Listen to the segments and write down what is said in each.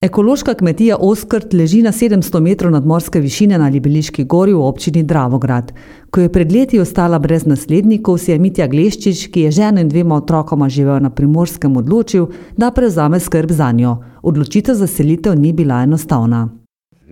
Ekološka kmetija Oskrt leži na 700 metrov nadmorske višine na Libeliški gori v občini Dravograd. Ko je pred leti ostala brez naslednikov, si je Mitja Gleščič, ki je ženo in 2 otrokoma živel na Primorskem, odločil, da prevzame skrb zanjo. Odločitev za selitev ni bila enostavna.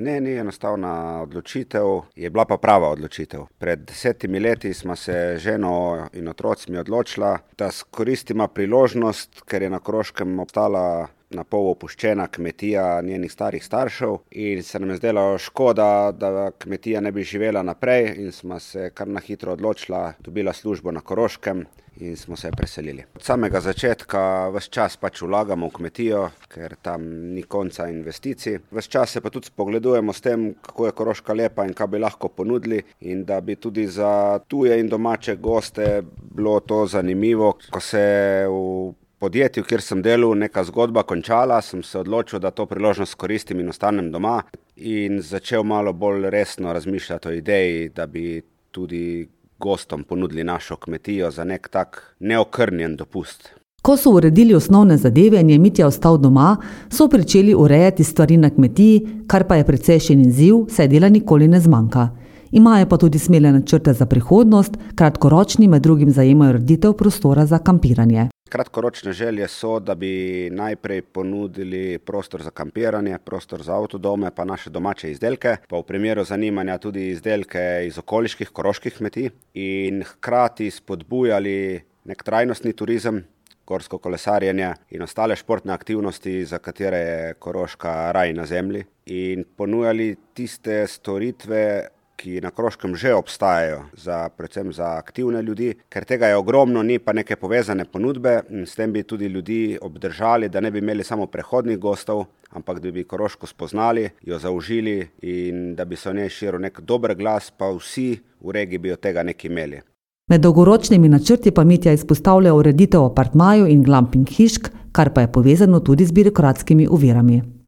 Ne, ni enostavna odločitev, je bila pa prava odločitev. Pred 10 leti smo se ženo in otrocmi odločila, da skoristimo priložnost, ker je na Koroškem obstala na pol opuščena kmetija njenih starih staršev in se nam je zdelo škoda, da kmetija ne bi živela naprej in smo se kar na hitro odločila, dobila službo na Koroškem in smo se preselili. Od samega začetka ves čas vlagamo v kmetijo, ker tam ni konca investicij. Ves čas se pa tudi spogledujemo s tem, kako je Koroška lepa in kaj bi lahko ponudili in da bi tudi za tuje in domače goste bilo to zanimivo. Ko se v podjetju, kjer sem delal, neka zgodba končala, sem se odločil, da to priložnost koristim in ostanem doma in začel malo bolj resno razmišljati o ideji, da bi tudi gostom ponudili našo kmetijo za nek tak neokrnjen dopust. Ko so uredili osnovne zadeve in je Mitja ostal doma, so pričeli urejati stvari na kmetiji, kar pa je precejšen izziv, saj dela nikoli ne zmanjka. Imajo pa tudi smele načrte za prihodnost, kratkoročni med drugim zajemajo ureditev prostora za kampiranje. Kratkoročne želje so, da bi najprej ponudili prostor za kampiranje, prostor za avtodome, pa naše domače izdelke, pa v primeru zanimanja tudi izdelke iz okoliških koroških kmetij in hkrati spodbujali nek trajnostni turizem, gorsko kolesarjenje in ostale športne aktivnosti, za katere je Koroška raj na zemlji in ponujali tiste storitve, ki na Koroškem že obstajajo, predvsem za aktivne ljudi, ker tega je ogromno, ni pa neke povezane ponudbe in s tem bi tudi ljudi obdržali, da ne bi imeli samo prehodnih gostov, ampak da bi Koroško spoznali, jo zaužili in da bi se o njej širil nek dober glas, pa vsi v regiji bi od tega nekaj imeli. Med dolgoročnimi načrti pa Mitja izpostavlja ureditev apartmajev in glamping hišk, kar pa je povezano tudi z birokratskimi ovirami.